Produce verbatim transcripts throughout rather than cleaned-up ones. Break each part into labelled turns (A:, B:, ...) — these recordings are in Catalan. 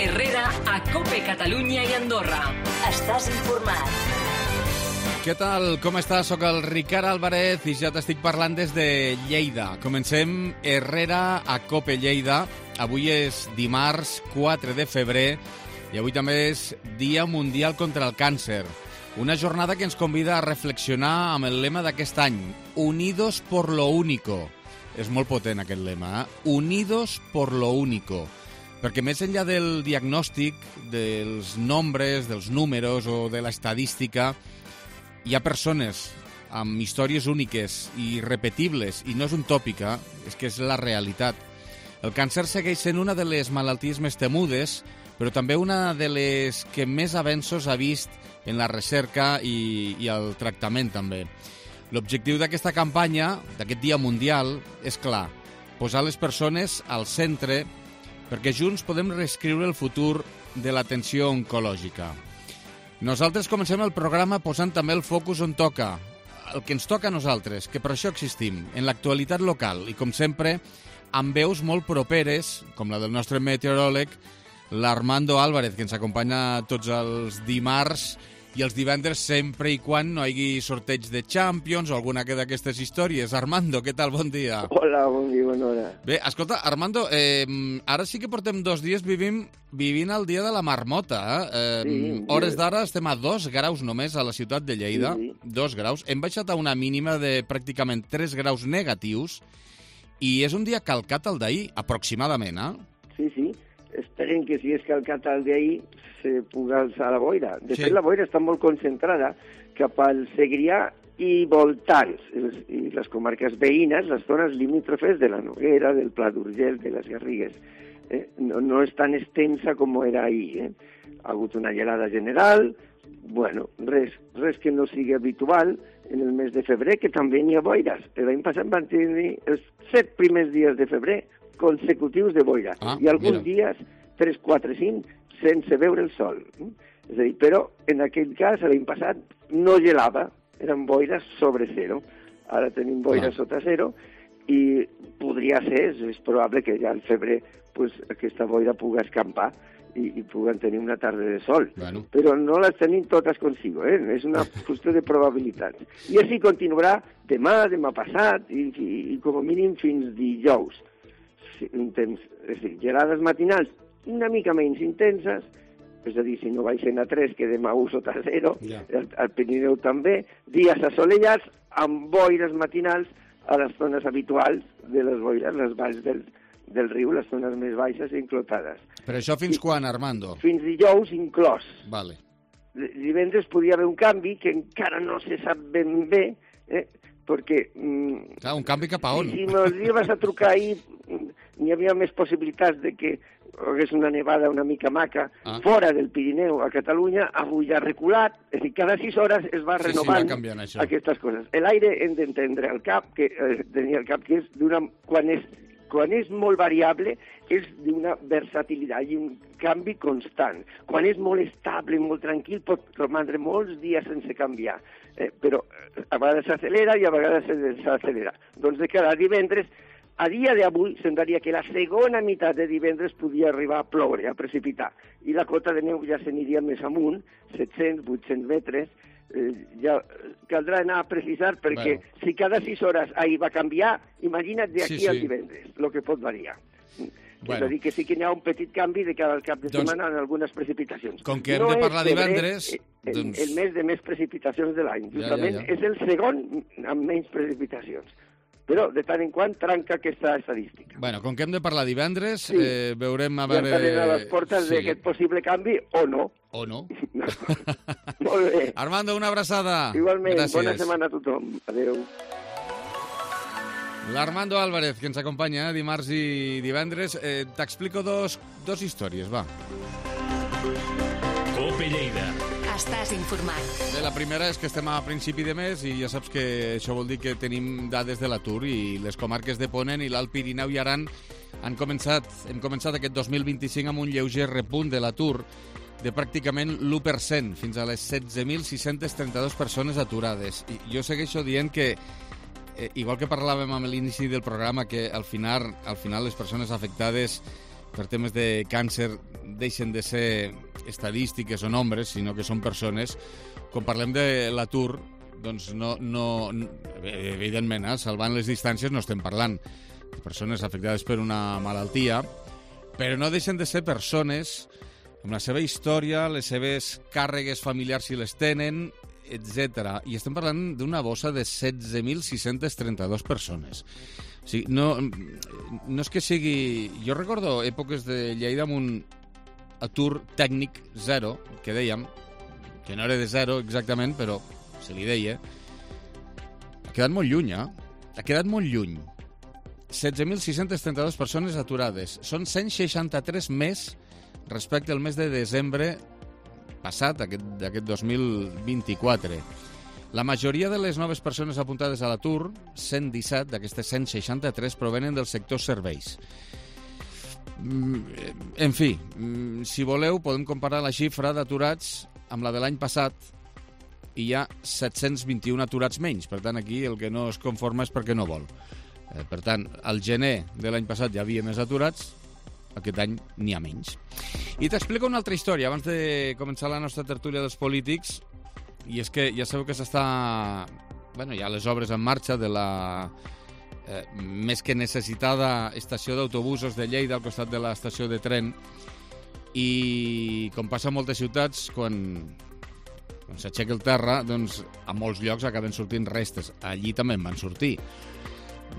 A: Herrera a COPE Catalunya i Andorra. Estàs informat.
B: Què tal? Com estàs? Soc el Ricard Álvarez i ja t'estic parlant des de Lleida. Comencem Herrera a COPE Lleida. Avui és dimarts quatre de febrer i avui també és Dia Mundial contra el Càncer. Una jornada que ens convida a reflexionar amb el lema d'aquest any, Unidos por lo único. És molt potent aquest lema, eh? Unidos por lo único. Perquè més enllà del diagnòstic, dels nombres, dels números o de l'estadística, hi ha persones amb històries úniques i repetibles, i no és un tòpic, eh? És que és la realitat. El càncer segueix sent una de les malalties més temudes, però també una de les que més avenços ha vist en la recerca i, i el tractament també. L'objectiu d'aquesta campanya, d'aquest Dia Mundial, és clar, posar les persones al centre perquè junts podem reescriure el futur de l'atenció oncològica. Nosaltres comencem el programa posant també el focus on toca, el que ens toca a nosaltres, que per això existim, en l'actualitat local i, com sempre, amb veus molt properes, com la del nostre meteoròleg, l'Armando Álvarez, que ens acompanya tots els dimarts i els divendres sempre i quan no hi hagi sorteig de Champions o alguna d'aquestes històries. Armando, què tal? Bon dia.
C: Hola, bon dia, bona hora.
B: Bé, escolta, Armando, eh, ara sí que portem dos dies vivim, vivint el dia de la marmota. Eh? Eh, sí, hores d'ara estem a dos graus només a la ciutat de Lleida. Sí, sí. Dos graus. Hem baixat a una mínima de pràcticament tres graus negatius i és un dia calcat al d'ahir, aproximadament, eh?
C: Sí, sí. Esperen que si és calcat el d'ahir se pugui alçar la boira. De
B: sí.
C: fet, la boira està molt concentrada cap al Segrià i voltants, i les comarques veïnes, les zones limítrofes de la Noguera, del Pla d'Urgell, de les Garrigues. Eh? No, no és tan extensa com era ahir. Eh? Ha hagut una gelada general, bueno, res, res que no sigui habitual en el mes de febrer, que també n'hi ha boires. L'any passat van tenir els set primers dies de febrer consecutius de boira, ah, i alguns mira. dies, tres, quatre, cinc, sense veure el sol. És a dir, però en aquell cas, l'any passat, no gelava, eren boires sobre zero. Ara tenim boires ah. sota zero, i podria ser, és probable que ja al febrer pues, aquesta boira pugui escampar i, i puguen tenir una tarda de sol.
B: Bueno.
C: Però no les tenim totes consigo, eh? És una qüestió de probabilitats. I així continuarà demà, demà passat, i, i, i com a mínim fins dijous. Intens, és a dir, gelades matinals una mica menys intenses, és a dir, si no baixen a tres, quedem a u sota zero, yeah. al, al Pirineu també, dies assolellats amb boires matinals a les zones habituals de les boires, les valls del, del riu, les zones més baixes i enclotades.
B: Però això fins I, quan, Armando?
C: Fins dijous inclòs.
B: Vale.
C: Divendres podria haver un canvi que encara no se sap ben bé, eh? perquè... Mm,
B: Clar, un canvi cap a on?
C: Si m'has a trucar ahir, n'hi havia més possibilitats de que hagués una nevada una mica maca ah. fora del Pirineu a Catalunya, avui ja ha reculat, és a dir, cada sis hores es va renovant
B: sí, sí, va
C: aquestes coses. L'aire hem d'entendre al cap, que eh, tenia el cap que és d'una... Quan és, quan és molt variable, és d'una versatilitat i un canvi constant. Quan és molt estable, molt tranquil, pot romandre molts dies sense canviar. Eh, però a vegades s'acelera i a vegades s'acelera. Doncs de cada divendres, a dia d'avui, semblaria que la segona meitat de divendres podia arribar a ploure, a precipitar. I la cota de neu ja s'aniria més amunt, set-cents, vuit-cents metres. Eh, ja caldrà anar a precisar, perquè bueno. si cada sis hores ahir va canviar, imagina't d'aquí sí, sí. al divendres, el que pot variar. Bueno. És a dir, que sí que hi ha un petit canvi de cada cap de setmana doncs, en algunes precipitacions.
B: Com que hem no de parlar divendres...
C: El,
B: doncs...
C: el mes de més precipitacions de l'any. Justament ja, ja, ja. és el segon amb menys precipitacions. Però, de tant en quant, tranca aquesta estadística.
B: Bueno, com que hem de parlar divendres, sí. eh, veurem a veure...
C: Ja estarem a les portes sí. d'aquest possible canvi, o no.
B: O no.
C: no. Molt bé.
B: Armando, una abraçada.
C: Igualment,
B: gràcies.
C: Bona setmana a tothom. Adéu.
B: L'Armando Álvarez, que ens acompanya eh, dimarts i divendres. Eh, T'explico dos, dos històries, va.
A: COPE Lleida. Estàs informat.
B: Bé, la primera és que estem a principi de mes i ja saps que això vol dir que tenim dades de l'atur i les comarques de Ponent i l'Alt Pirineu i Aran han començat, hem començat aquest dos mil vint-i-cinc amb un lleuger repunt de l'atur de pràcticament l'u per cent, fins a les setze mil sis-cents trenta-dues persones aturades. I jo segueixo dient que eh, igual que parlàvem amb l'inici del programa, que al final, al final les persones afectades per temes de càncer deixen de ser estadístiques o nombres, sinó que són persones. Quan parlem de l'atur, doncs no, no, evidentment, eh, salvant les distàncies no estem parlant de persones afectades per una malaltia, però no deixen de ser persones amb la seva història, les seves càrregues familiars si les tenen, etcètera. I estem parlant d'una bossa de setze mil sis-cents trenta-dos persones. O sigui, no, no és que sigui... Jo recordo èpoques de Lleida amb un atur tècnic zero, que dèiem, que no era de zero exactament, però se li deia. Ha quedat molt lluny, eh? Ha quedat molt lluny. setze mil sis-cents trenta-dos persones aturades. Són cent seixanta-tres més respecte al mes de desembre passat, aquest, aquest dos mil vint-i-quatre. La majoria de les noves persones apuntades a l'atur, cent disset d'aquestes cent seixanta-tres, provenen del sector serveis. En fi, si voleu, podem comparar la xifra d'aturats amb la de l'any passat i hi ha set-cents vint-i-un aturats menys. Per tant, aquí el que no es conforma és perquè no vol. Per tant, al gener de l'any passat hi havia més aturats, aquest any n'hi ha menys. I t'explico una altra història abans de començar la nostra tertúlia dels polítics, i és que ja sabeu que s'està... Bueno, hi ha les obres en marxa de la eh, més que necessitada estació d'autobusos de Lleida al costat de l'estació de tren, i com passa a moltes ciutats, quan, quan s'aixeca el terra, doncs a molts llocs acaben sortint restes. Allí també en van sortir.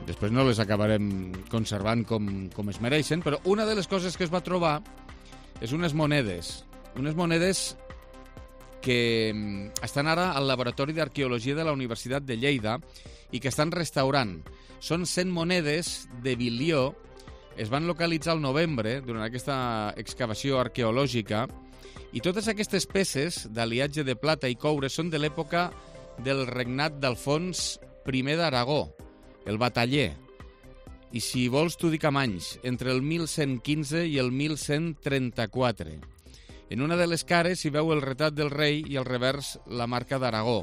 B: Després no les acabarem conservant com, com es mereixen, però una de les coses que es va trobar és unes monedes. Unes monedes que estan ara al Laboratori d'Arqueologia de la Universitat de Lleida i que estan restaurant. Són cent monedes de bilió. Es van localitzar al novembre durant aquesta excavació arqueològica i totes aquestes peces d'aliatge de plata i coure són de l'època del regnat d'Alfons primer d'Aragó, el bataller. I si vols t'ho dic amb anys, entre el mil cent quinze i el mil cent trenta-quatre. En una de les cares s'hi veu el retrat del rei i al revers la marca d'Aragó.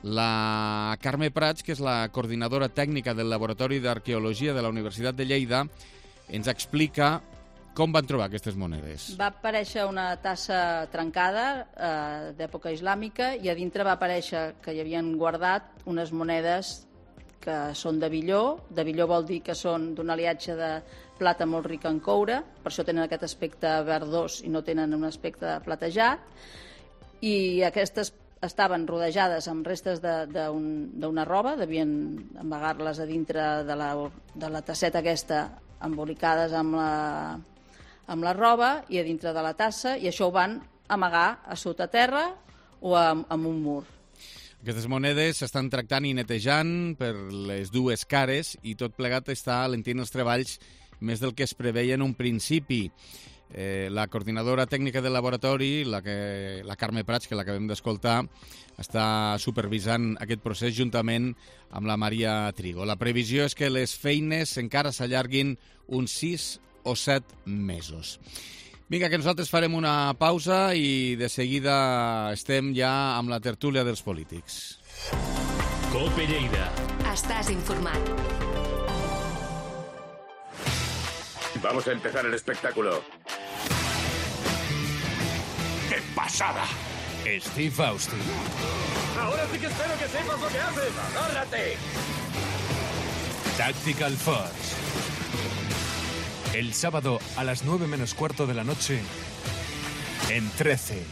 B: La Carme Prats, que és la coordinadora tècnica del Laboratori d'Arqueologia de la Universitat de Lleida, ens explica com van trobar aquestes monedes.
D: Va aparèixer una tassa trencada eh, d'època islàmica i a dintre va aparèixer que hi havien guardat unes monedes que són de billó. De billó vol dir que són d'un aliatge de plata molt rica en coure, per això tenen aquest aspecte verdós i no tenen un aspecte platejat, i aquestes estaven rodejades amb restes d'una de, un, roba, devien amagar-les a dintre de la, de la tasseta aquesta, embolicades amb la, amb la roba i a dintre de la tassa, i això ho van amagar a sota terra o amb, amb un mur.
B: Aquestes monedes s'estan tractant i netejant per les dues cares i tot plegat està alentint els treballs més del que es preveia en un principi. Eh, la coordinadora tècnica del laboratori, la, que, la Carme Prats, que l'acabem d'escoltar, està supervisant aquest procés juntament amb la Maria Trigo. La previsió és que les feines encara s'allarguin uns sis o set mesos. Vinga, que nosaltres farem una pausa i de seguida estem ja amb la tertúlia dels polítics.
A: Cope Lleida. Estàs informat.
E: Vamos a empezar el espectáculo. ¡Qué pasada!
F: Steve Austin.
E: Ahora sí que espero que sepas lo que haces. ¡Agárrate!
F: Tactical Force. El sábado a las nueve menos cuarto de la noche en trece.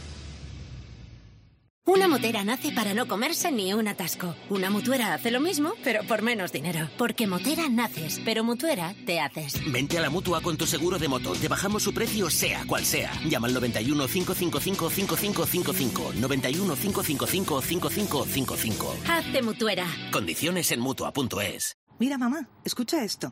G: Una motera nace para no comerse ni un atasco. Una mutuera hace lo mismo, pero por menos dinero. Porque motera naces, pero mutuera te haces.
H: Vente a la Mutua con tu seguro de moto. Te bajamos su precio sea cual sea. Llama al noventa y uno, cinco cinco cinco, cinco cinco cinco cinco. noventa y uno, cinco cinco cinco, cinco cinco cinco cinco.
G: Hazte mutuera.
H: Condiciones en Mutua punto es.
I: Mira, mamá, escucha esto.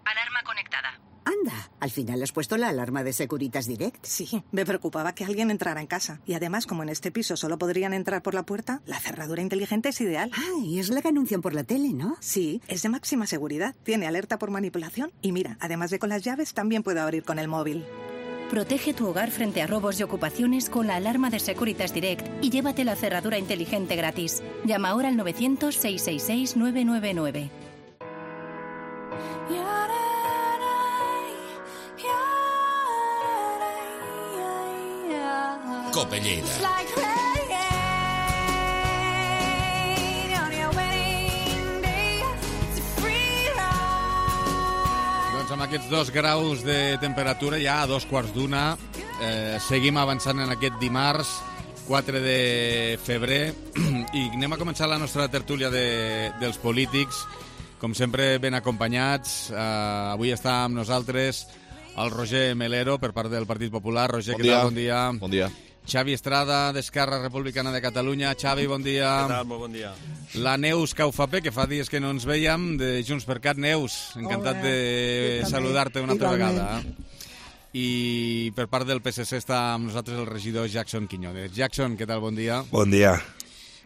A: Alarma conectada.
J: Anda, al final has puesto la alarma de Securitas Direct.
I: Sí, me preocupaba que alguien entrara en casa. Y además, como en este piso solo podrían entrar por la puerta, la cerradura inteligente es ideal.
J: Ah, y es la que anuncian por la tele, ¿no?
I: Sí, es de máxima seguridad. Tiene alerta por manipulación. Y mira, además de con las llaves, también puedo abrir con el móvil.
K: Protege tu hogar frente a robos y ocupaciones con la alarma de Securitas Direct y llévate la cerradura inteligente gratis. Llama ahora al novecientos, seiscientos sesenta y seis, nueve nueve nueve.
L: Cope Lleida.
B: Doncs amb aquests dos graus de temperatura, ja a dos quarts d'una, eh, seguim avançant en aquest dimarts, quatre de febrer, i anem a començar la nostra tertúlia de, dels polítics, com sempre ben acompanyats. Eh, avui està amb nosaltres el Roger Melero, per part del Partit Popular. Roger,
M: bon
B: què
M: dia.
B: tal? Bon dia.
M: Bon dia.
B: Xavi Estrada, d'Esquerra Republicana de Catalunya. Xavi, bon dia.
N: Què tal? Molt bon dia.
B: La Neus Caufapé, que fa dies que no ens veiem, de Junts per Cat. Neus, encantat
O: Hola.
B: de saludar-te una altra
O: Igualment.
B: vegada. I per part del P S C està amb nosaltres el regidor Jackson Quiñones. Jackson, què tal? Bon dia.
P: Bon dia.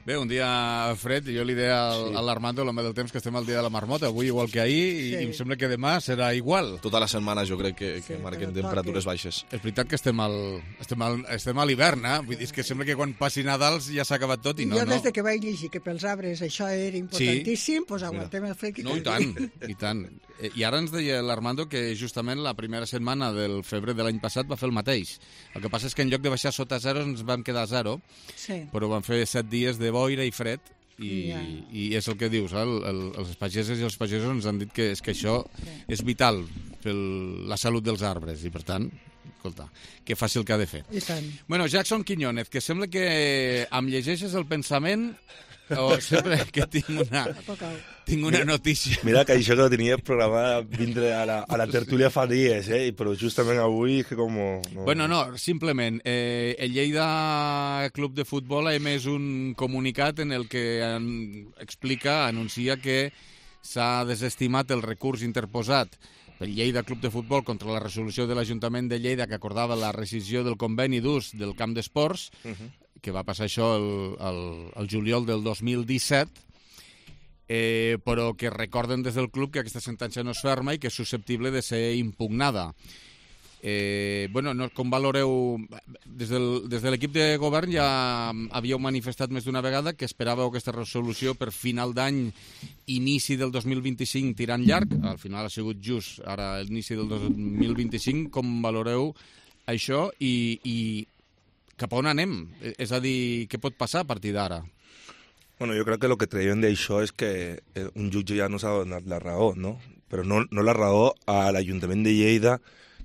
B: Bé, un dia fred, jo li deia al, sí. a l'Armando, l'home del temps, que estem al dia de la marmota, avui igual que ahir, i,
O: Sí.
B: i em sembla que demà serà igual.
M: Tota la setmana jo crec que, que
O: Sí,
M: marquen
O: però
M: temperatures
O: toqui.
M: baixes.
B: És veritat que estem al, estem al, estem a l'hivern, eh? Vull dir, és que sembla que quan passi Nadals ja s'ha acabat tot i no,
O: jo
B: no.
O: des de que vaig llegir que pels arbres això era importantíssim, doncs aguantem el fred.
B: No, i tant, i tant. Eh, I ara ens deia l'Armando que justament la primera setmana del febrer de l'any passat va fer el mateix. El que passa és que en lloc de baixar sota zero ens vam quedar a zero,
O: Sí.
B: però van fer set dies de boira i fred, i,
O: Ja.
B: i és el que dius, eh? el, el, els pageses i els pagesos ens han dit que, és que això és vital per la salut dels arbres, i per tant, escolta, que faci el que ha de fer.
O: I tant.
B: Bueno, Jackson Quiñones, que sembla que em llegeixes el pensament o sempre que tinc una, tinc una notícia.
P: Mira que això que tenia programat vindre a la, a la tertúlia fa dies, eh? però justament avui és que com... No...
B: Bueno, no, simplement, eh, el Lleida Club de Futbol ha emès un comunicat en el que an, explica, anuncia que s'ha desestimat el recurs interposat pel Lleida Club de Futbol contra la resolució de l'Ajuntament de Lleida que acordava la rescisió del conveni d'ús del camp d'esports,
P: Uh-huh.
B: que va passar això el, el, el juliol del dos mil disset, eh, però que recorden des del club que aquesta sentència no és ferma i que és susceptible de ser impugnada. Eh, bueno, no, com valoreu... Des, del, des de l'equip de govern ja havíeu manifestat més d'una vegada que esperàveu aquesta resolució per final d'any, inici del dos mil vint-i-cinc tirant llarg. Al final ha sigut just ara l'inici del dos mil vint-i-cinc. Com valoreu això i, i cap a on anem? És a dir, què pot passar a partir d'ara?
P: Bueno, jo crec que el que traiem d'això és que eh, un jutge ja no s'ha donat la raó, no? Però no, no la raó a l'Ajuntament de Lleida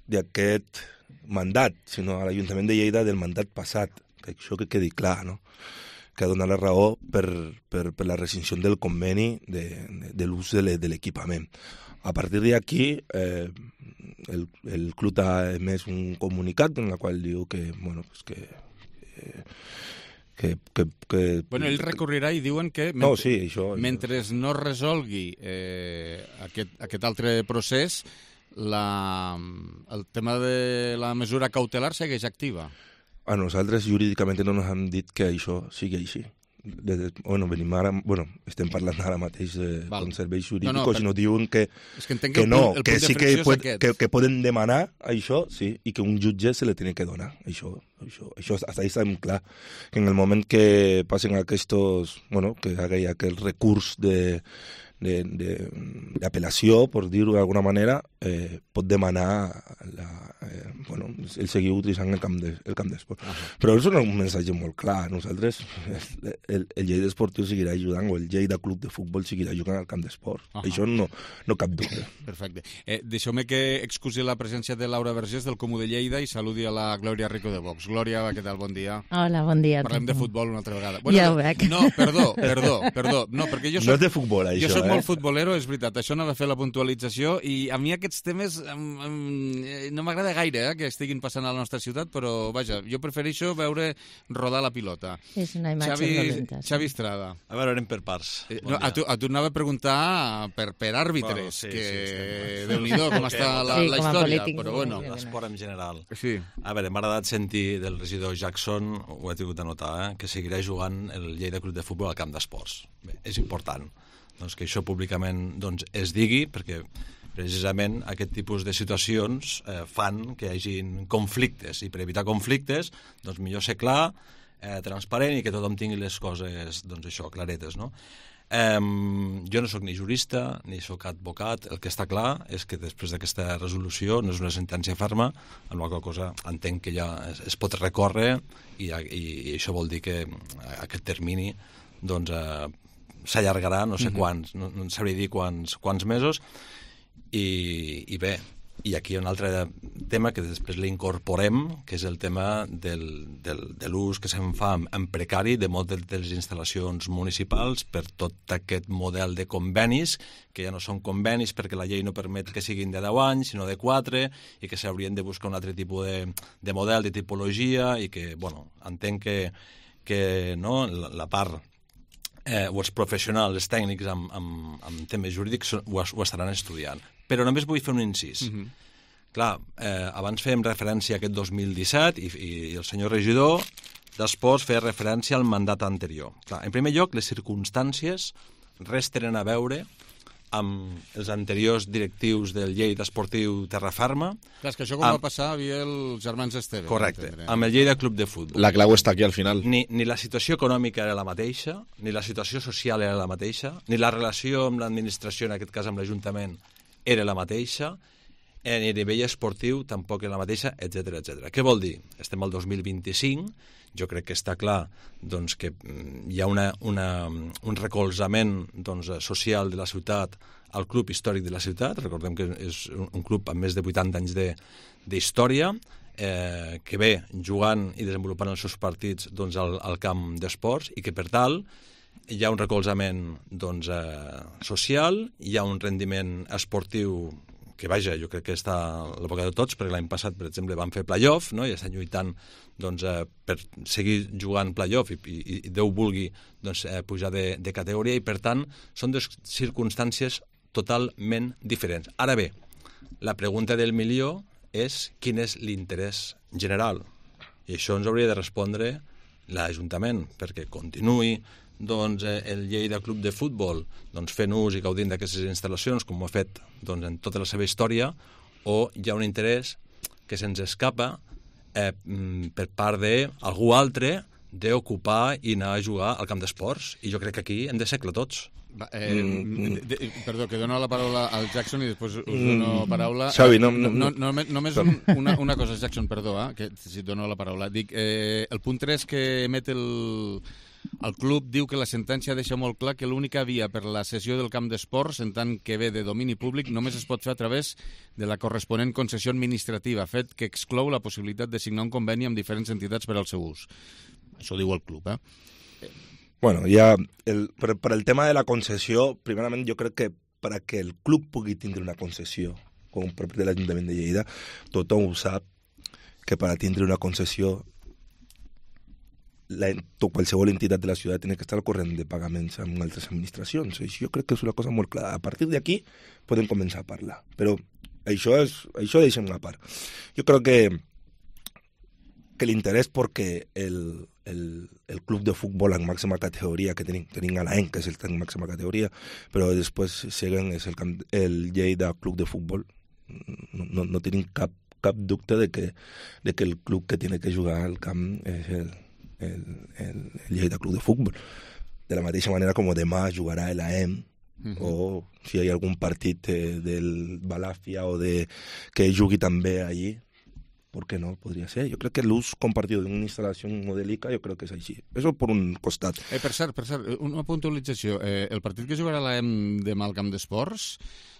P: d'aquest mandat, sinó a l'Ajuntament de Lleida del mandat passat, que això que quedi clar, no? Que ha donat la raó per, per, per la rescissió del conveni de, de, de l'ús de l'equipament. A partir d'aquí, eh, el, el club ha emès un comunicat en el qual diu que, bueno, pues que, eh, que, que, que...
B: Bueno, ell recorrirà i diuen que
P: No,
B: mentre,
P: sí, això...
B: mentre no resolgui eh, aquest, aquest altre procés, la, el tema de la mesura cautelar segueix activa.
P: A nosaltres jurídicament no ens han dit que això sigui així. De, de, bueno, venim ara, bueno, estem parlant ara mateix de
B: Val.
P: serveis jurídics,
B: No, no, per-
P: i no diuen que,
B: És que entenc
P: que
B: el
P: no,
B: punt- el
P: que
B: punt de
P: sí que,
B: fricció és
P: pot,
B: aquest.
P: que, que poden demanar això, sí, i que un jutge se li tiene que donar. Això, això, això hasta ahí estem clar. Que en el moment que passen aquests, bueno, que hi ha aquell recurs de d'apel·lació, per dir-ho d'alguna manera, eh, pot demanar la, eh, bueno, el seguir utilitzant el camp de, el camp d'esport. Uh -huh. Però és un missatge molt clar. Nosaltres, el, el Lleida Esportiu seguirà ajudant, o el Lleida Club de Futbol seguirà jugant al camp d'esport. Uh -huh. Això no, no cap dubte.
B: Perfecte. Eh, Deixeu-me que excusi la presència de Laura Vergés, del Comú de Lleida, i saludi a la Glòria Rico de Vox. Glòria, què tal? Bon dia.
Q: Hola, bon dia.
B: Parlem de futbol una altra vegada.
Q: Ja ho veig.
B: No, perdó, perdó, perdó. No, perquè jo soc,
P: no és de futbol, això,
B: jo soc
P: eh?
B: molt futbolero, és veritat. Això no va fer la puntualització, i a mi aquests temes um, um, no m'agrada gaire, eh, que estiguin passant a la nostra ciutat, però, vaja, jo prefereixo veure rodar la pilota.
Q: És una imatge
B: Xavi,
Q: dolenta. Sí.
B: Xavi Estrada.
N: A veure, anem per parts.
B: Eh, no, a, tu, a tu anava a preguntar per, per àrbitres,
N: Bueno, sí,
B: que
N: sí, sí,
B: Déu-n'hi-do com està la,
Q: Sí,
B: la
Q: com a
B: història,
Q: polític,
B: però
Q: sí,
B: bueno.
Q: sí.
N: L'esport en general.
B: Sí.
N: A veure, m'ha agradat sentir del regidor Jackson, ho he tingut de notar, eh, que seguirà jugant el Lleida Club de Futbol al camp d'esports. Bé, és important doncs, que això públicament doncs, es digui, perquè precisament aquest tipus de situacions eh, fan que hi hagin conflictes, i per evitar conflictes, doncs millor ser clar, eh, transparent, i que tothom tingui les coses, doncs això, claretes, no? Um, jo no sóc ni jurista ni sóc advocat. El que està clar és que després d'aquesta resolució no és una sentència ferma, amb la qual cosa entenc que ja es, es pot recórrer i, i, i això vol dir que aquest termini doncs, eh, s'allargarà no sé quants, no, no sabria dir quants, quants mesos i, i bé, i aquí hi ha un altre tema que després l'incorporem, que és el tema del, del, de l'ús que se'n fa en precari de moltes de les instal·lacions municipals per tot aquest model de convenis, que ja no són convenis perquè la llei no permet que siguin de deu anys, sinó de quatre, i que s'haurien de buscar un altre tipus de, de model, de tipologia, i que, bueno, entenc que, que no, la, la part eh, o els professionals, els tècnics amb, amb, amb temes jurídics ho, ho estaran estudiant. Però només vull fer un incís. Uh-huh. Clar, eh, abans fèiem referència a aquest dos mil disset i, i, i el senyor regidor d'Esports feia referència al mandat anterior. Clar, en primer lloc, les circumstàncies res tenen a veure amb els anteriors directius del Lleida Esportiu Terraferma.
B: Clar, és que això com amb... va passar havia els germans Esteve.
N: Correcte, amb el Lleida Club de Futbol.
L: La clau està aquí al final.
N: Ni, ni la situació econòmica era la mateixa, ni la situació social era la mateixa, ni la relació amb l'administració, en aquest cas amb l'Ajuntament, era la mateixa, en el nivell esportiu tampoc era la mateixa, etcètera, etcètera. Què vol dir? Estem al dos mil vint-i-cinc, jo crec que està clar doncs, que hi ha una, una, un recolzament doncs, social de la ciutat al club històric de la ciutat. Recordem que és un club amb més de vuitanta anys d'història, eh, que ve jugant i desenvolupant els seus partits doncs, al, al camp d'esports i que, per tal, hi ha un recolzament doncs, eh, social, hi ha un rendiment esportiu que, vaja, jo crec que està a l'època de tots, perquè l'any passat, per exemple, van fer play-off, no? I estan lluitant doncs, eh, per seguir jugant play-off i, i, i Déu vulgui doncs, eh, pujar de, de categoria, i per tant són dues circumstàncies totalment diferents. Ara bé, la pregunta del milió és quin és l'interès general, i això ens hauria de respondre l'Ajuntament, perquè continuï doncs, el Lleida Club de Futbol doncs, fent ús i gaudint d'aquestes instal·lacions com ho ha fet doncs, en tota la seva història, o hi ha un interès que se'ns escapa eh, per part d'algú altre d'ocupar i anar a jugar al camp d'esports, i jo crec que aquí hem de ser clar tots.
B: Va, eh, mm. de, de, perdó, que dono la paraula al Jackson i després us dono paraula.
L: Xavi, no, no,
B: no, no, només un, una, una cosa, Jackson, perdó, eh, que si et dono la paraula. Dic, eh, el punt tres que emet el, el club diu que la sentència deixa molt clar que l'única via per la cessió del camp d'esports, en tant que ve de domini públic, només es pot fer a través de la corresponent concessió administrativa, fet que exclou la possibilitat de signar un conveni amb diferents entitats per al seu ús. Això diu el club, eh?
P: Bueno, ya el, per, per el tema de la concessió, primerament jo crec que per a que el club pugui tindre una concessió com per de l'Ajuntament de Lleida, tothom ho sap que per a tindre una concessió la, qualsevol entitat de la ciutat ha d'estar al corrent de pagaments amb altres administracions. Això jo crec que és una cosa molt clara. A partir d'aquí podem començar a parlar, però això, és, això deixem a part. Jo crec que que l'interès perquè el, el, el club de futbol en màxima categoria que tenim, tenim a l'A E N, que és el en màxima categoria, però després seguen és el, camp, el Lleida Club de Futbol. No, no, no tenim cap, cap dubte de que, de que el club que tiene que jugar al camp és el, el, el, el Lleida Club de Futbol. De la mateixa manera com demà jugarà l'A E M, uh-huh. o si hi ha algun partit eh, del Balàfia o de, que jugui també allí, ¿por qué no? Podría ser. Yo creo que l'ús compartido de una instalación modélica, yo creo que és així. Eso por un costat.
B: Eh, per cert, per cert, una puntualització. Eh, el partit que jugarà l'A E M demà al camp d'esports,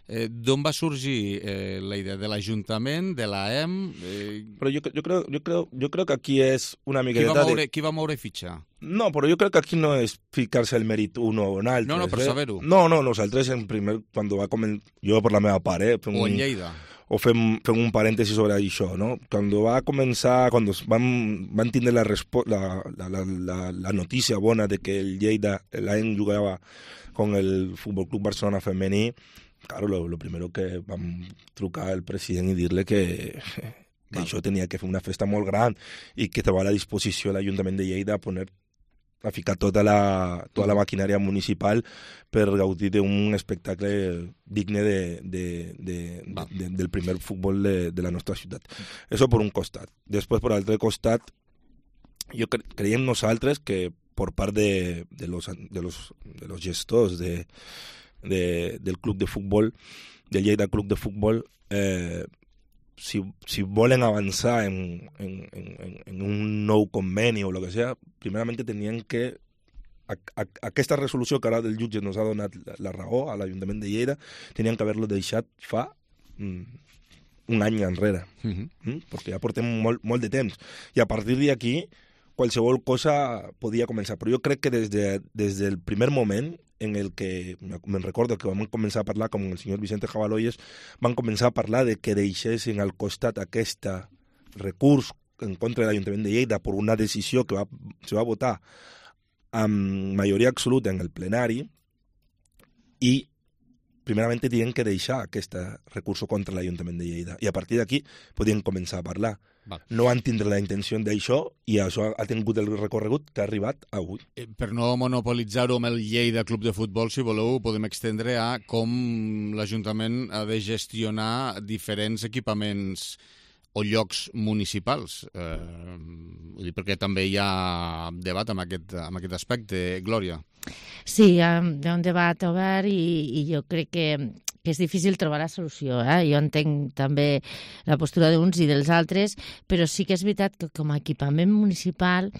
B: eh, d'on va sorgir eh, la idea? De l'Ajuntament, de l'A E M? Eh...
P: Però jo, jo, creo, jo, creo, jo creo que aquí és una miqueta...
B: Qui va moure, de... qui va moure fitxa?
P: No, però jo crec que aquí no és ficar-se el mèrit uno o un altre.
B: No, no, per
P: eh?
B: saber-ho.
P: No, no, nosaltres en primer, quan va començar... Jo per la meva part, eh?
B: O en Lleida.
P: O fem, fem un parèntesi sobre això, no? Quan va començar, quan van, van tindre la, la, la, la, la notícia bona de que el Lleida, l'A E M jugava con el Futbol Club Barcelona femení, claro, lo, lo primero que vam trucar al president i dir-li que, que això tenia que fer una festa molt gran i que estava a la disposició de l'Ajuntament de Lleida a poner a ficar tota la, tota la maquinària municipal per gaudir d'un espectacle digne de, de, de, de, de, del primer futbol de, de la nostra ciutat. Això per un costat. Després, per l'altre costat, jo cre creiem nosaltres que por part de, de, los, de, los, de los gestors de, de, del club de futbol, del Lleida Club de Futbol, eh, si, si volen avançar en, en, en, en un nou conveni o el que sea, primerament tenien que a, a, aquesta resolució que ara el jutge nos ha donat la, la raó a l'Ajuntament de Lleida, tenien que haver-lo deixat fa mm, un any enrere, uh-huh. mm? perquè ja portem molt, molt de temps. I a partir d'aquí, qualsevol cosa podia començar. Però jo crec que des, de, des del primer moment en el que, me'n recordo que vam començar a parlar, com el senyor Vicente Jabaloyes, van començar a parlar de que deixessin al costat aquest recurs en contra de l'Ajuntament de Lleida per una decisió que va, se va votar amb majoria absoluta en el plenari i primerament tenien que deixar aquest recurs contra l'Ajuntament de Lleida i a partir d'aquí podien començar a parlar. Va. No van tindre la intenció d'això i això ha tingut el recorregut que ha arribat avui.
B: Eh, per no monopolitzar-ho amb el Lleida Club de Futbol, si voleu, podem extendre a com l'Ajuntament ha de gestionar diferents equipaments o llocs municipals, eh, vull dir, perquè també hi ha debat amb aquest, amb aquest aspecte. Glòria.
L: Sí, hi ha, hi ha un debat obert i, i jo crec que, que és difícil trobar la solució. Eh? Jo entenc també la postura d'uns i dels altres, però sí que és veritat que com a equipament municipal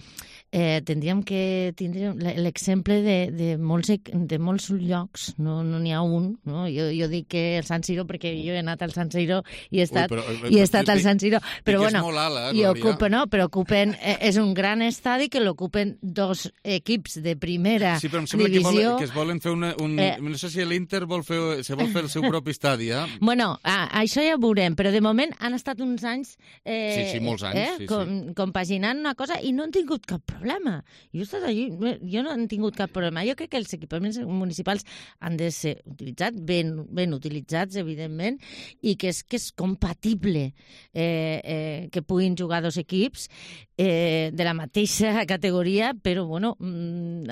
L: eh, tindríem que tindre l'exemple de, de, molts, de molts llocs, no n'hi no ha un. No? Jo, jo dic que el San Siro, perquè jo he anat al San Siro i he estat, Ui, però, i he estat al San Siro, però bueno,
B: ala,
L: i ocupen, no, però ocupen, eh, és un gran estadi que l'ocupen dos equips de primera
B: sí, però em sembla
L: divisió.
B: Que, vol, que es volen fer una, un... Eh, no sé si l'Inter vol fer, se vol fer el seu propi estadi, eh?
L: Bueno, ah, això ja ho veurem, però de moment han estat uns anys... Eh,
B: sí, sí, molts anys.
L: Eh,
B: sí,
L: com,
B: sí.
L: compaginant una cosa i no han tingut cap problema. Jo he estat allí, jo no han tingut cap problema. Jo crec que els equipaments municipals han de ser utilitzats, ben, ben utilitzats, evidentment, i que és, que és compatible eh, eh, que puguin jugar dos equips eh, de la mateixa categoria, però, bueno,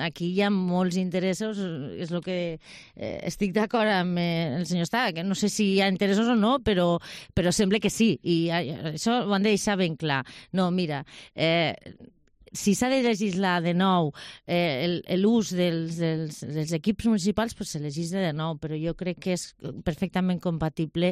L: aquí hi ha molts interessos, és el que eh, estic d'acord amb eh, el senyor Estava, que no sé si hi ha interessos o no, però, però sembla que sí, i això ho han de deixar ben clar. No, mira, eh, si s'ha de legislar de nou eh, l'ús dels, dels, dels equips municipals, pues se legisla de nou, però jo crec que és perfectament compatible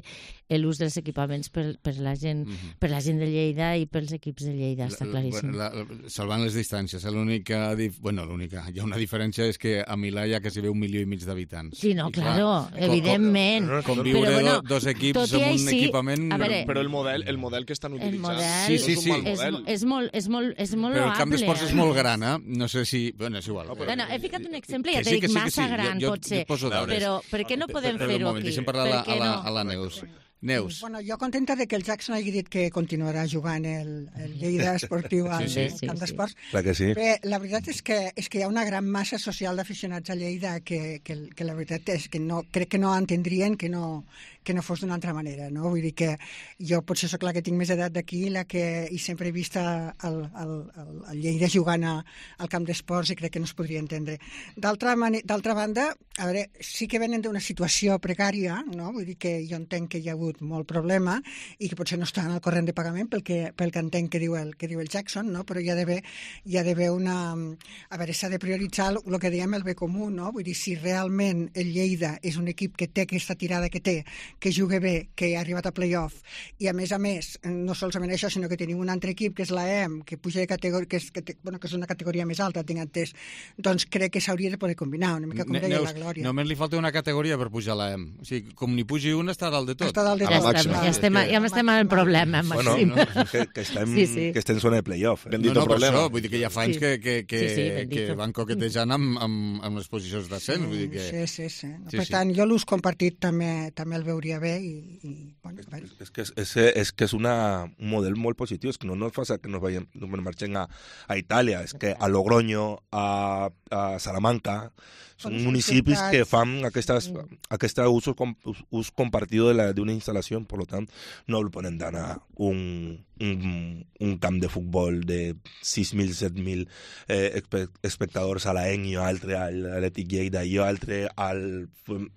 L: l'ús dels equipaments per, per, la gent, mm-hmm. per la gent de Lleida i pels equips de Lleida, està claríssim.
B: La, la, salvant les distàncies, l'única, bueno, l'única, hi ha una diferència és que a Milà hi ha quasi un milió i mig d'habitants.
L: Sí, no, claro, evidentment.
B: Com, com viure bueno, dos equips amb un
L: sí,
B: equipament...
M: Veure, però el model, el model que estan utilitzant
L: el model,
B: sí, sí, sí.
L: És, és molt, és molt, és molt
B: però
L: loable.
B: El camp d'esports és molt gran, eh? No sé si... Bueno, és igual.
L: No, però... bueno, he ficat un exemple, ja t'he dit, massa sí, gran, jo, jo, potser. Però per què no podem fer-ho aquí?
B: Deixem parlar a la, a la, a la Neus. Neus.
O: Bueno, jo contenta de que el Jackson hagi dit que continuarà jugant el, el Lleida Esportiu al sí, sí, camp sí, d'esports.
P: Sí. Clar que sí.
O: Bé, la veritat és que, és que hi ha una gran massa social d'aficionats a Lleida que, que, que la veritat és que no, crec que no entendrien que no, que no fos d'una altra manera, no? Vull dir que jo potser sóc la que tinc més edat d'aquí la que i sempre he vist el, el, el, el Lleida jugant a, al camp d'esports i crec que no es podria entendre. D'altra banda, a veure, sí que venen d'una situació precària, no? Vull dir que jo entenc que hi ha hagut molt problema i que potser no estan al corrent de pagament pel que, pel que entenc que diu el, que diu el Jackson, no? Però hi ha d'haver hi ha d'haver una... A veure, s'ha de prioritzar el, el que diem el bé comú, no? Vull dir, si realment el Lleida és un equip que té aquesta tirada que té, que juga bé, que ha arribat a play-off i a més a més, no solament això, sinó que tenim un altre equip que és l'A E M, que puja de categoria, que és, que, té, bueno, que és una categoria més alta, tinc entès, doncs crec que s'hauria de poder combinar, una mica com deia la Glòria.
B: Només li falta una categoria per pujar a l'A E M. O sigui, com n'hi pugi una, està dalt de tot.
O: Està dalt de tot.
L: Ja, ja estem, ja estem en el problema, Maxim.
P: Bueno, no? que, que, estem, sí, sí. que estem en zona de play-off.
B: Eh? No, no, per això, vull dir que ja fa anys sí. que, que, que, sí, sí, que van coquetejant amb, amb, amb les posicions d'ascens.
O: Sí,
B: vull dir que...
O: sí, sí, sí. No, sí per sí. tant, jo l'ús compartit també, també el veuria bé i, i bueno,
P: és, és, que és, és, és que és una, un model molt positiu, és que no, no és fàcil que nos, vayem, nos marxem a, a Itàlia, és que a Logroño, a, a Salamanca, són municipis que fan aquestes, aquesta ús, ús compartido d'una instal·lació, per tant, no el poden donar un, un, un camp de futbol de sis mil, set mil eh, espectadors a l'A E N i altre a l'Atlètic Lleida i altre al,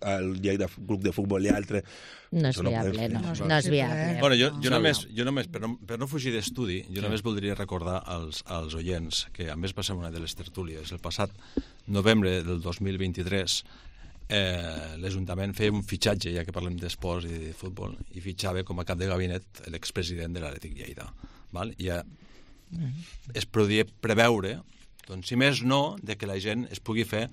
P: al Lleida Club de Futbol i altre
L: No és viable, no, no, no és viable.
N: Bueno, jo, jo només, jo només per, no, per no fugir d'estudi, jo només voldria recordar als, als oients que a més va ser una de les tertúlies. El passat novembre del dos mil vint-i-tres eh, l'Ajuntament feia un fitxatge, ja que parlem d'esports i de futbol, i fitxava com a cap de gabinet l'expresident de l'Atlètic Lleida. Val? I ja es podia preveure, doncs, si més no, de que la gent es pugui fer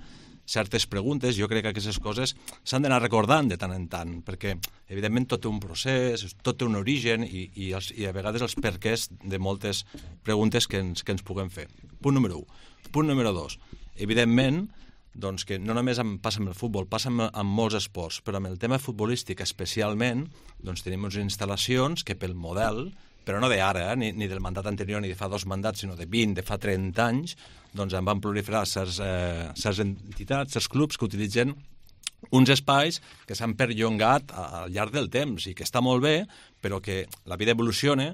N: certes preguntes. Jo crec que aquestes coses s'han d'anar recordant de tant en tant, perquè, evidentment, tot té un procés, tot té un origen i, i, els, i a vegades els perquès de moltes preguntes que ens, que ens puguem fer. Punt número un. Punt número dos. Evidentment, doncs, que no només em passa amb el futbol, passa amb, amb molts esports, però amb el tema futbolístic especialment, doncs tenim unes instal·lacions que pel model, però no d'ara, eh, ni, ni del mandat anterior ni de fa dos mandats, sinó de vint, de fa trenta anys, doncs en van proliferar certs, eh, certs entitats, certs clubs que utilitzen uns espais que s'han perllongat al llarg del temps i que està molt bé, però que la vida evoluciona,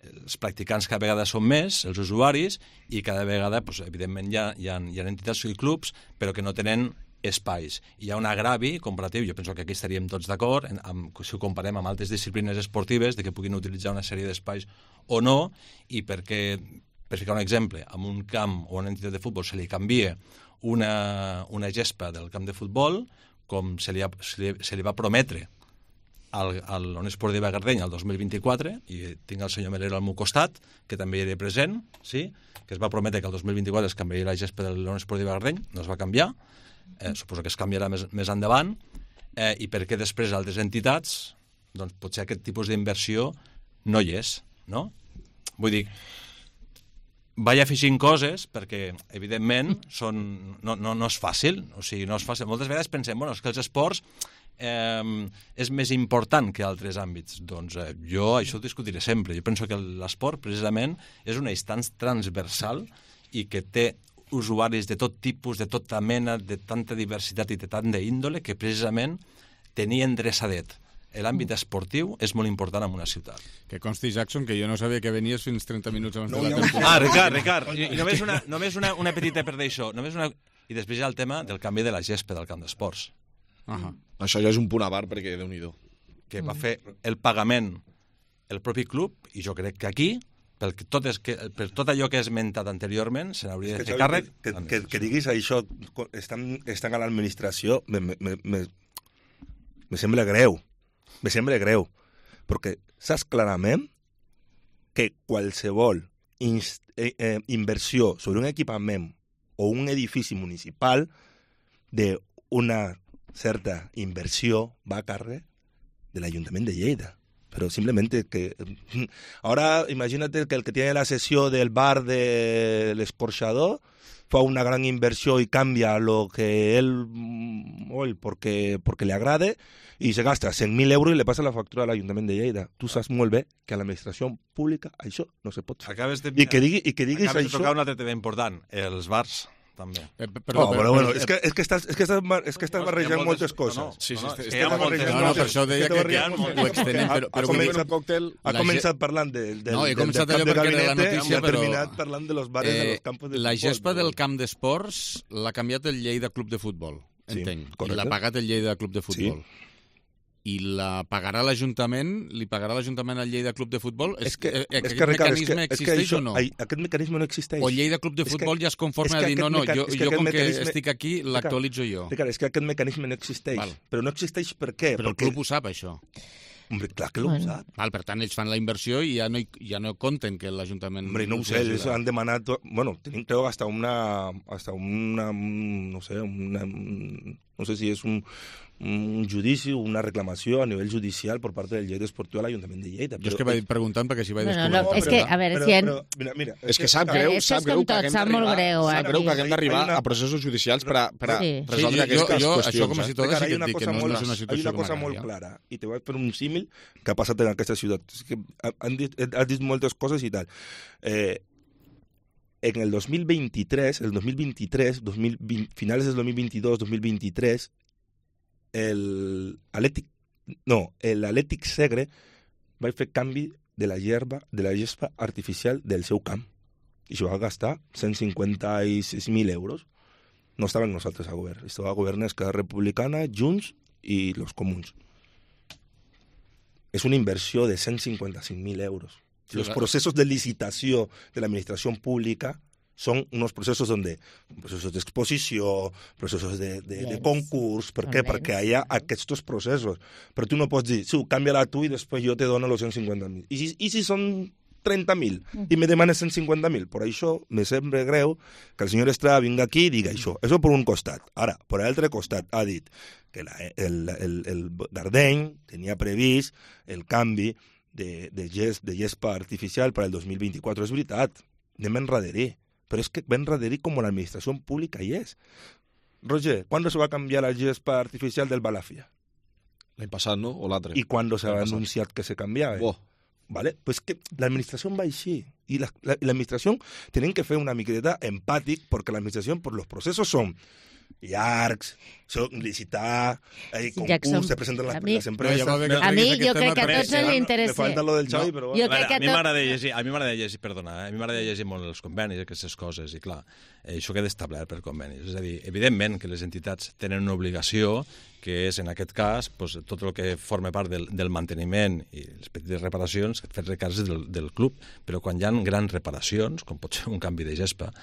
N: els practicants cada vegada són més, els usuaris, i cada vegada, doncs, evidentment, hi ha, hi, ha, hi ha entitats i clubs, però que no tenen espais. Hi ha un agravi comparatiu, jo penso que aquí estaríem tots d'acord, si ho comparem amb altres disciplines esportives, de que puguin utilitzar una sèrie d'espais o no, i perquè, per ficar un exemple, amb un camp o una entitat de futbol se li canvia una, una gespa del camp de futbol, com se li, ha, se li, se li va prometre al, al Unió Esportiva Gardeny el dos mil vint-i-quatre, i tinc el senyor Melero al meu costat, que també hi era present, sí? Que es va prometre que el dos mil vint-i-quatre es canviaria la gespa de la Unió Esportiva Gardeny, no es va canviar, eh, suposo que es canviarà més, més endavant, eh, i perquè després altres entitats, doncs potser aquest tipus d'inversió no hi és, no? Vull dir, vaig afegint coses perquè, evidentment, són, no, no, no és fàcil, o sigui, no és fàcil. Moltes vegades pensem, bueno, és que els esports eh, és més important que altres àmbits. Doncs eh, jo això ho discutiré sempre. Jo penso que l'esport, precisament, és una instància transversal i que té usuaris de tot tipus, de tota mena, de tanta diversitat i de tant d'índole, que precisament tenir endreçadet l'àmbit esportiu és molt important en una ciutat.
B: Que consti, Jackson, que jo no sabia que venies fins trenta minuts abans
N: no,
B: de la
N: temporada. Ah, Ricard, Ricard, i, i només, una, només una, una petita per d'això. Només una... I després hi ha el tema del canvi de la gespa del camp d'esports.
M: Uh -huh. Això ja és un punt a part, perquè Déu-n'hi-do.
N: Que va fer el pagament el propi club, i jo crec que aquí, per tot, és que, per tot allò que he esmentat anteriorment, se n'hauria de fer càrrec.
P: Que, que, que, que diguis això, estan, estan a l'administració, me, me, me, me sembla greu. Me sembla greu, perquè saps clarament que qualsevol inst, eh, eh, inversió sobre un equipament o un edifici municipal d'una certa inversió va a càrrec de l'Ajuntament de Lleida. Pero simplemente que... Ahora imagínate que el que tiene la sesión del bar del escorxador fa una gran inversión y cambia lo que él, hoy porque, porque le agrade, y se gasta cent mil euros i le passa la factura a l'Ajuntament de Lleida. Tu saps molt bé que a l'administració pública això no se pot fer.
N: Acabes de,
P: I que, digui, i que diguis
N: acabes
P: això...
N: de tocar un altre tema important, els bars, també.
B: Eh, perdó,
P: oh, però, bueno, és que, és que estàs, és que estàs, és que estàs
N: no,
P: barrejant moltes, moltes coses.
N: No, no, sí, sí,
P: no,
N: sí,
P: és
N: sí,
P: que estàs barrejant
B: no, no, per això deia que, que, que ho extenem, però...
P: Ha, ha, començat, còctel, ha començat parlant del, del,
B: no, he començat
P: del, del
B: allò
P: camp de
B: perquè era la notícia,
P: i ha
B: però...
P: terminat parlant de los bares eh, de los campos de
B: la
P: futbol.
B: La gespa del camp d'esports l'ha canviat el Lleida Club de Futbol, entenc. Sí, I l'ha pagat el Lleida Club de Futbol. Sí. I la pagarà l'Ajuntament? Li pagarà l'Ajuntament al Lleida Club de Futbol? És que, eh, aquest que, mecanisme és que, existeix és que això, o no?
P: Aquest mecanisme no existeix.
B: O Lleida Club de Futbol ja es conforma a dir no, no, jo, jo com que estic aquí l'actualitzo jo.
P: Ricard, és que aquest mecanisme no existeix. Val. Però no existeix per què?
B: Però
P: Perquè...
B: el club ho sap, això.
P: Hombre, clar que
B: bueno.
P: ho sap.
B: Val, per tant, ells fan la inversió i ja no, ja no compten que l'Ajuntament...
P: Hombre, no ho sé, ells han demanat... Bueno, tenim, creo, hasta una... Hasta una... No sé, una... No sé si és un... un judici, una reclamació a nivell judicial per part del Lleida Esportiu a l'Ajuntament de Lleida.
B: Jo és que vaig preguntant perquè si vaig
L: bueno,
B: descobrir.
L: No, és que, a veure, si... En...
P: Però, mira, mira,
M: és, és que sap greu,
L: és
M: sap
L: que
M: greu
L: tot,
M: que
L: sap molt greu.
M: Sap greu que haguem d'arribar
P: una...
M: a processos judicials per a, per a
L: sí.
M: resoldre
B: sí,
M: aquestes
B: jo, jo,
M: qüestions.
B: Això com a ciutadà sí que et dic que no,
P: molt,
B: no és una situació
P: Hi ha una cosa molt clara, i te vaig fer un símil que ha passat en aquesta ciutat. És que han dit, has dit moltes coses i tal. Eh, en el dos mil vint-i-tres, el dos mil vint-i-tres, dos mil vint, finals del dos mil vint-i-dos, dos mil vint-i-tres, el Atlètic, no, el Atlètic Segre va fer canvi de la herba, de la gespa artificial del seu camp. I això va gastar cent cinquanta-sis mil euros. No estaven nosaltres a govern, estava a govern Esquerra Republicana, Junts i los Comuns. és una inversió de cent cinquanta-cinc mil euros.
B: Sí,
P: Los
B: claro.
P: procesos de licitació de la administración pública son unos procesos donde procesos d'exposició, processos de, de, de concurs, per què? Perquè hi ha aquests processos. Però tu no pots dir, sí, canvia-la tu i després jo te dono els cent cinquanta mil. I si, i si són trenta mil i me demanes cent cinquanta mil? Per això me sembla greu que el senyor Estrada vinga aquí i diga això. Això per un costat. Ara, per l'altre costat, ha dit que la, el, el, el Dardeny tenia previst el canvi de, de, gest, de gespa artificial per al dos mil vint-i-quatre. És veritat, anem enrederir. Pero es que Ben Raderi como la administración pública y es. Roger, ¿cuándo se va a cambiar la gespa artificial del Balafia?
M: L'any passat, no? O l'altre?
P: ¿Y cuándo se ha anunciado que se cambiaba?
M: Oh.
P: ¿Vale? Pues que la administración va així. Y la, la, la administración tienen que fer una miqueta empàtic porque la administración, por los procesos son llargs, son licitar, hay concurs, se presenten les, les empreses...
L: No, a mi jo crec que a tots ens interessa.
P: Me falta lo del Xavi,
N: no,
P: però...
L: Jo crec que
N: a mi m'agrada llegir, a mi m'agrada llegir, perdona, eh? a mi m'agrada llegir molt els convenis, aquestes coses, i clar, eh, això queda establert per convenis. És a dir, evidentment que les entitats tenen una obligació, que és, en aquest cas, pues, tot el que forma part del, del manteniment i les petites reparacions, fer-se càrrec del, del club, però quan hi ha grans reparacions, com pot ser un canvi de gespa,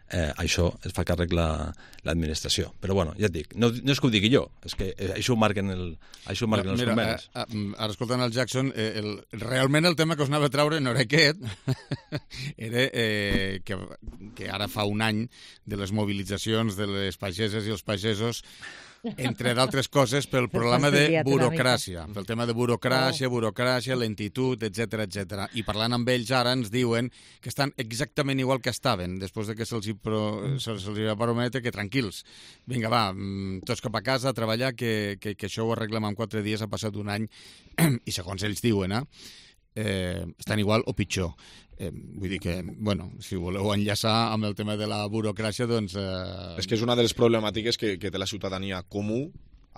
N: Eh, això es fa càrrec l'administració. La, Però bueno, ja et dic, no, no és que ho digui jo, és que eh, això ho marquen, el, això ho marquen
B: Mira,
N: els convenis.
B: eh, eh, ara escoltant el Jackson, eh, el, realment el tema que us anava a treure no era aquest, era eh, que, que ara fa un any de les mobilitzacions de les pageses i els pagesos, entre d'altres coses, pel problema de burocràcia, pel tema de burocràcia, burocràcia, lentitud, etcètera, etcètera. I parlant amb ells ara ens diuen que estan exactament igual que estaven, després de que se'ls pro, se va prometre que tranquils, vinga, va, tots cap a casa a treballar, que, que, que això ho arreglem en quatre dies, ha passat un any, i segons ells diuen, eh, eh, estan igual o pitjor. Eh, vull dir que, bueno, si voleu enllaçar amb el tema de la burocràcia, doncs... Eh...
M: És que és una de les problemàtiques que, que té la ciutadania comú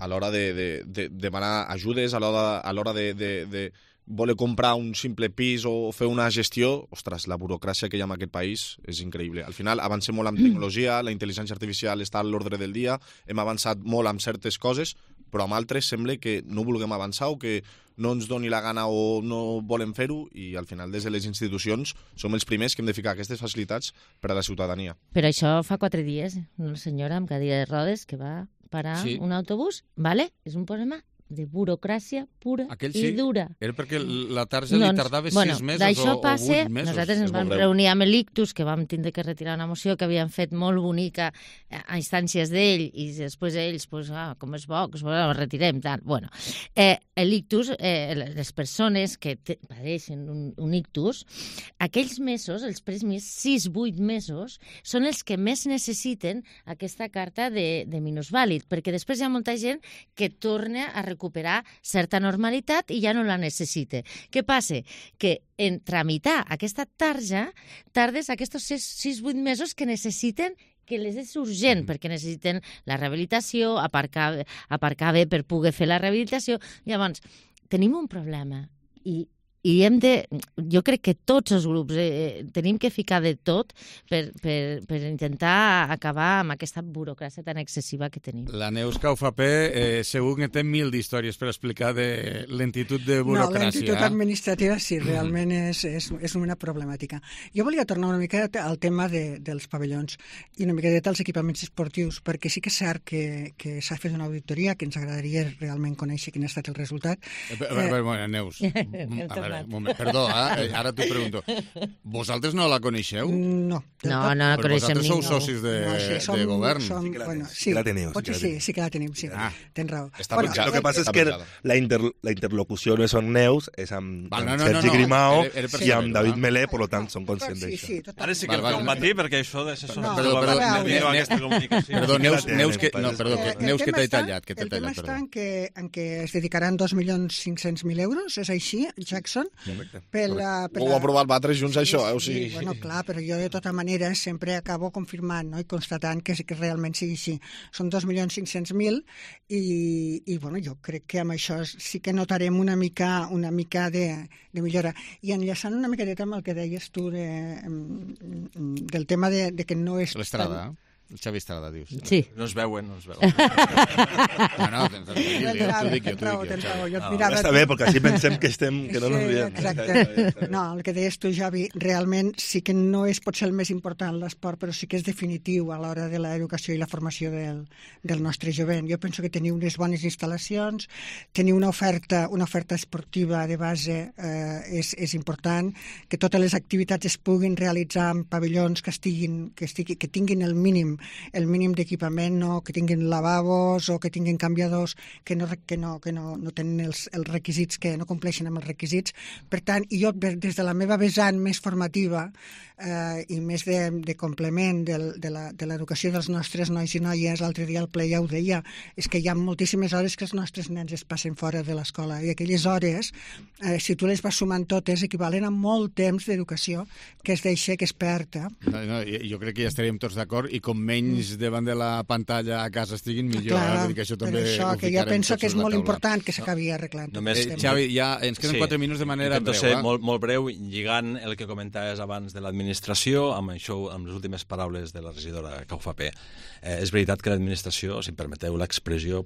M: a l'hora de, de, de demanar ajudes, a l'hora a l'hora de, de, de voler comprar un simple pis o fer una gestió. Ostres, la burocràcia que hi ha en aquest país és increïble. Al final avancem molt amb tecnologia, la intel·ligència artificial està a l'ordre del dia, hem avançat molt amb certes coses, però amb altres sembla que no vulguem avançar o que no ens doni la gana o no volem fer-ho, i al final des de les institucions som els primers que hem de ficar aquestes facilitats per a la ciutadania.
L: Però això fa quatre dies, una senyora amb cadira de rodes que va parar sí. un autobús, ¿vale? És un problema de burocràcia pura
B: Aquell
L: sí, i dura.
B: Era perquè la tarja li tardava
L: bueno,
B: sis mesos o,
L: passe,
B: o vuit mesos.
L: Nosaltres ens vam reunir amb l'Ictus, que vam tindre que retirar una moció que havien fet molt bonica a instàncies d'ell, i després ells, pues, ah, com és bo, que la retirem, tant. Bueno, eh, l'Ictus, eh, les persones que padeixen un, un ictus, aquells mesos, els primers sis, vuit mesos, són els que més necessiten aquesta carta de, de minusvàlid, perquè després hi ha molta gent que torna a recuperar recuperar certa normalitat i ja no la necessita. Què passa? Que en tramitar aquesta tarja tardes aquests sis vuit mesos que necessiten, que les és urgent, perquè necessiten la rehabilitació, aparcar, aparcar bé per poder fer la rehabilitació. Llavors, tenim un problema i i hem de, jo crec que tots els grups eh, tenim que ficar de tot per, per, per intentar acabar amb aquesta burocràcia tan excessiva que tenim.
B: La Neus Caufapé eh, segur que té mil d'històries per explicar de lentitud de burocràcia.
O: No, lentitud administrativa sí, realment és, és, és una problemàtica. Jo volia tornar una mica al tema de, dels pavellons i una mica dels equipaments esportius, perquè sí que és cert que, que s'ha fet una auditoria que ens agradaria realment conèixer quin ha estat el resultat.
B: Eh, a veure, bueno, Neus, a veure, un moment, perdó, eh? Ara t'ho pregunto. Vosaltres no la coneixeu?
O: No.
L: No, no la coneixem
B: ningú. Vosaltres sou
L: ningú.
B: socis de,
O: no, sí, som,
B: de govern.
O: Som,
P: sí que la,
O: bueno,
P: sí,
O: sí,
P: sí que la teniu.
O: Potser sí, sí que la tenim, sí.
B: Ah.
O: Tens raó.
M: Està
O: bueno,
M: penjada.
P: Lo que passa és que la, inter, la interlocució no és amb Neus, és amb,
B: Val, no,
P: amb
B: no,
P: Sergi
B: no, no.
P: Grimao
B: Era, era
P: i amb David
B: no?
P: Melé, per tant, són conscients
O: sí,
P: d'això.
O: sí, tot
N: Ara sí que
B: val,
N: em
B: val,
N: van dir, perquè això d'assessor...
O: No,
B: perdó, perdó,
O: a
B: ne,
O: veure,
B: ne,
N: aquesta comunicació.
B: perdó, Neus,
P: Sí,
B: Neus, que, no, perdó, que,
O: El
B: Neus que
O: tema
B: t'he
O: està-
B: tallat, que t'he
O: El tema
B: tallat,
O: està
B: perdó.
O: en que, en que es dedicaran dos milions cinc-cents mil euros, és així, Jackson?
P: Correcte.
O: Per la, per
M: Ho
O: la...
M: heu aprovat vosaltres junts, això, eh? O sigui...
O: Sí, bueno, clar, però jo de tota manera sempre acabo confirmant, no?, i constatant que, que realment sigui així. Són dos milions cinc-cents mil i, i bueno, jo crec que amb això sí que notarem una mica, una mica de, de millora. I enllaçant una miqueta amb el que deies tu de, del tema de, de que no és...
B: L'Estrada,
O: tan,
B: Xavi Estrada, dius.
L: Sí.
N: No es veuen, no es veuen.
B: No, no, t'ho dic jo, t'ho dic jo.
P: Està bé, perquè així pensem que estem, que no nos veiem.
O: Exacte. No, el que deies tu, Javi, realment sí que no és potser el més important l'esport, però sí que és definitiu a l'hora de l'educació i la formació del, del nostre jovent. Jo penso que teniu unes bones instal·lacions, teniu una oferta, una oferta esportiva de base eh, és, és important, que totes les activitats es puguin realitzar en pavellons que estiguin, que, estigui, que tinguin el mínim el mínim d'equipament, no? Que tinguin lavabos o que tinguin canviadors que no, que no, que no, no tenen els, els requisits, que no compleixen amb els requisits. Per tant, i jo des de la meva vessant més formativa eh, i més de, de complement del, de l'educació dels nostres nois i noies, l'altre dia al ple ja ho deia, és que hi ha moltíssimes hores que els nostres nens es passen fora de l'escola i aquelles hores, eh, si tu les vas sumant totes, equivalen a molt temps d'educació que es deixa, que es perd. Eh?
B: No, no, jo crec que ja estaríem tots d'acord i com menys davant de la pantalla a casa estiguin, millor.
O: Clar,
B: eh? Que això també
O: per això, que jo penso que és molt important que s'acabi arreglant.
B: Només, eh, Xavi, ja ens queden quatre sí, minuts de manera breu.
N: Ser
B: eh?
N: molt, molt breu, lligant el que comentaves abans de l'administració amb això, amb les últimes paraules de la regidora Caufapé. Eh, és veritat que l'administració, si em permeteu l'expressió,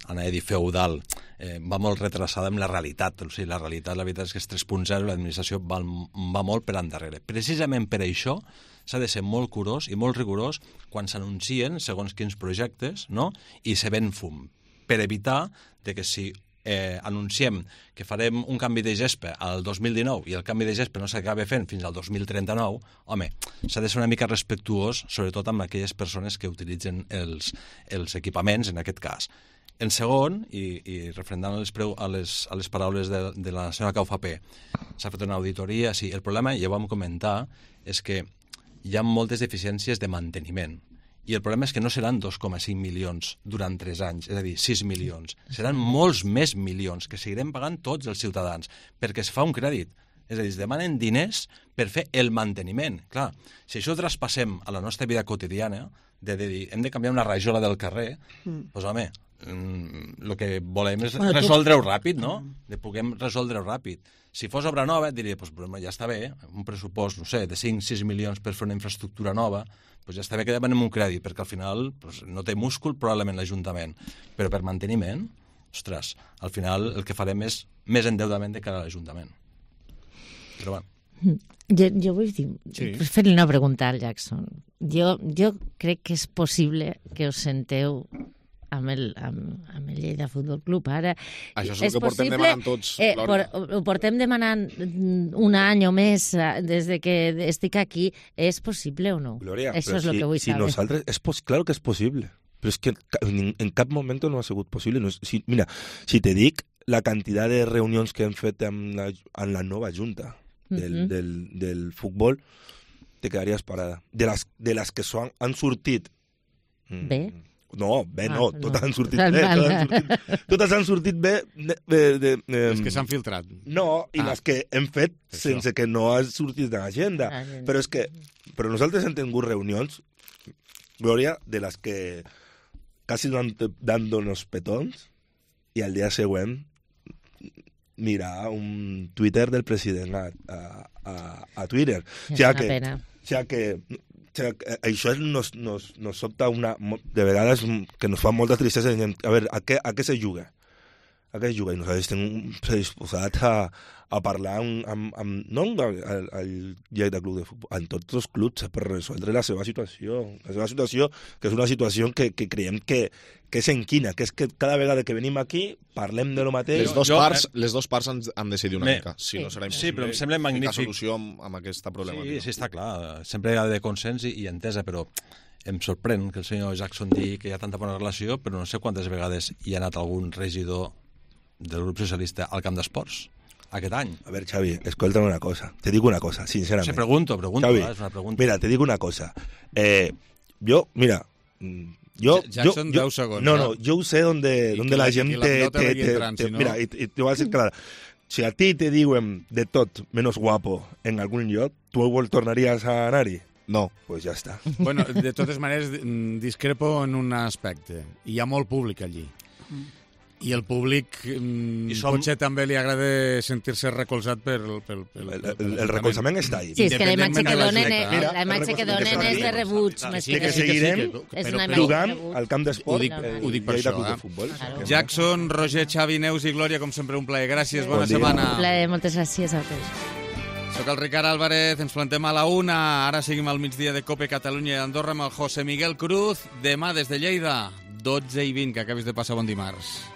N: anava a dir feudal, eh, va molt retrasada amb la realitat. O sigui, la realitat, la veritat és que és tres punt zero, l'administració va, va molt per endarrere. Precisament per això s'ha de ser molt curós i molt rigorós quan s'anuncien segons quins projectes, no? I se ven fum, per evitar de que si eh, anunciem que farem un canvi de gespa al dos mil dinou i el canvi de gespa no s'acaba fent fins al dos mil trenta-nou, home, s'ha de ser una mica respectuós, sobretot amb aquelles persones que utilitzen els, els equipaments, en aquest cas. En segon, i, i referendant a les, preu, a les, a les paraules de, de la senyora Caufapé, s'ha fet una auditoria, sí, el problema, ja ho vam comentar, és que hi ha moltes deficiències de manteniment. I el problema és que no seran dos coma cinc milions durant tres anys, és a dir, sis milions. Seran molts més milions que seguirem pagant tots els ciutadans, perquè es fa un crèdit. És a dir, es demanen diners per fer el manteniment. Clar, si això ho traspassem a la nostra vida quotidiana, de, de dir, hem de canviar una rajola del carrer, mm. doncs, home, el que volem és resoldre-ho ràpid, no? De puguem resoldre-ho ràpid. Si fos obra nova, diria, doncs, ja està bé, un pressupost, no sé, de cinc sis milions per fer una infraestructura nova, doncs ja està bé que demanem un crèdit, perquè al final doncs, no té múscul probablement l'Ajuntament. Però per manteniment, ostres, al final el que farem és més endeudament de cara a l'Ajuntament. Però bueno.
L: Jo, jo vull dir, sí. fer-li una pregunta al Jackson. Jo, jo crec que és possible que us senteu amb el, amb, amb el Lleida Futbol Club. Ara,
M: això és el que possible, portem demanant tots,
L: eh, por, ho portem demanant un any o més des de que estic aquí. És possible o no?
P: Gloria,
L: això és el
P: si,
L: que vull
P: si
L: saber.
P: Nosaltres, és pos, claro que és possible, però és que en, en cap moment no ha sigut possible. No, si, mira, si te dic la quantitat de reunions que hem fet amb la, amb la nova junta del, uh-huh. del, del futbol, te quedaries parada. De les, de les que son, han sortit...
L: Bé?
P: Mm, No, bé, no,
L: ah,
P: totes
L: no.
P: han sortit bé. Totes han sortit, totes han sortit bé. De, de, de, de,
B: les que s'han filtrat.
P: No, i ah. les que hem fet
B: Això.
P: sense que no ha sortit de l'agenda.
L: Ah,
P: però és que però nosaltres hem tingut reunions, Glòria, de les que quasi dando-nos petons i al dia següent mirar un Twitter del president a, a, a, a Twitter.
L: És
P: o sigui
L: una
P: que,
L: pena.
P: O sigui que O sigui, això nos, nos, nos sobta una, de vegades que nos fa molta tristesa. A veure, a què, a què se juga? A què es juga? I nosaltres estem predisposats a, a parlar amb, amb, amb, no al, al Lleida Club de Futbol, en tots els clubs per resoldre la seva situació. La seva situació, que és una situació que, que creiem que, que és enquina, que és que cada vegada que venim aquí parlem de lo mateix.
M: Les dos
N: jo,
M: parts, les dos parts han, han de decidir una
N: me,
M: mica. Si no serà
N: sí, però em sembla magnífic.
M: Solució amb, amb aquesta problemàtica.
N: Sí, sí, està clar. Sempre hi ha de consens i, i entesa, però em sorprèn que el senyor Jackson digui que hi ha tanta bona relació, però no sé quantes vegades hi ha anat algun regidor del grup socialista al camp d'esports aquest any.
P: A veure, Xavi, escolta'm una cosa. Te dic una cosa, sincerament.
N: Se pregunto, pregunto,
P: Xavi,
N: és una pregunta.
P: Mira, te dic una cosa. Eh, yo, mira, yo...
B: Jackson,
P: yo,
B: deu segons.
P: No, no, yo sé donde, donde la, la gent te... te, te,
B: entrant,
P: te
B: si no...
P: Mira, y, y te voy a decir claro. Si a ti te diuen de tot menos guapo en algun lloc, tu tornaries a anar-hi? No, pues ja està.
B: Bueno, de totes maneres, discrepo en un aspecte. Hi ha molt públic allí. I el públic mm, som... potser també li agrada sentir-se recolzat per... per, per,
P: el, el, el recolzament està ahí.
L: Sí, és que la imatge que donen, la, la imatge que donen és de rebuig.
P: Que sí, que seguirem jugant al camp d'esport.
B: Ho dic per això. Jackson, Roger, Xavi, Neus i Glòria, com sempre, un plaer. Gràcies, bona setmana.
L: Un plaer, moltes gràcies a tots.
B: Soc el Ricard Álvarez, ens plantem a la una. Ara seguim al migdia de Cope Catalunya i Andorra amb el José Miguel Cruz. Demà des de Lleida, dotze i vint, que acabis de passar bon dimarts.